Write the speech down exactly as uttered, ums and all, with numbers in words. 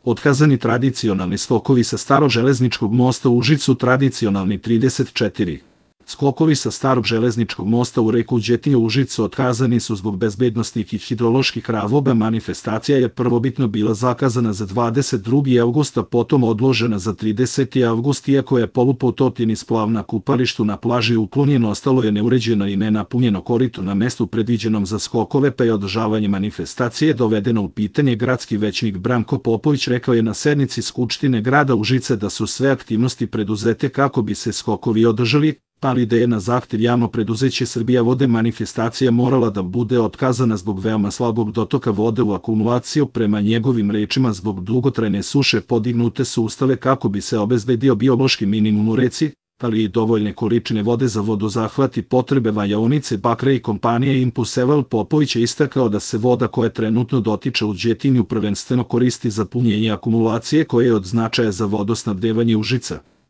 Otkazani tradicionalni skokovi sa starog železničkog mosta u Užicu. Tradicionalni trideset četiri. Skokovi sa starog železničkog mosta u reku Đetinje u Užicu otkazani su zbog bezbednosnih i hidroloških razloga. Manifestacija je prvobitno bila zakazana za dvadeset drugi avgust, a potom odložena za trideseti avgust, iako je polupotopljeni i splav na kupalištu na plaži uklonjen, ostalo je neuređeno i nenapunjeno korito na mestu predviđenom za skokove, pa je održavanje manifestacije dovedeno u pitanje. Gradski većnik Branko Popović rekao je na sednici Skupštine grada Užice da su sve aktivnosti preduzete kako bi se skokovi održali, ali da je na zahtev javno preduzeće Srbija vode manifestacija morala da bude otkazana zbog veoma slabog dotoka vode u akumulaciju. Prema njegovim rečima, zbog dugotrajne suše podignute su ustave kako bi se obezbedio biološki minimum u reci, ali i dovoljne količine vode za vodozahvat i potrebe valjaonice bakra i kompanije Impuseval. Popović je istakao da se voda koja trenutno dotiče u Đetinju prvenstveno koristi za punjenje akumulacije koja je od značaja za vodosnabdevanje Užica.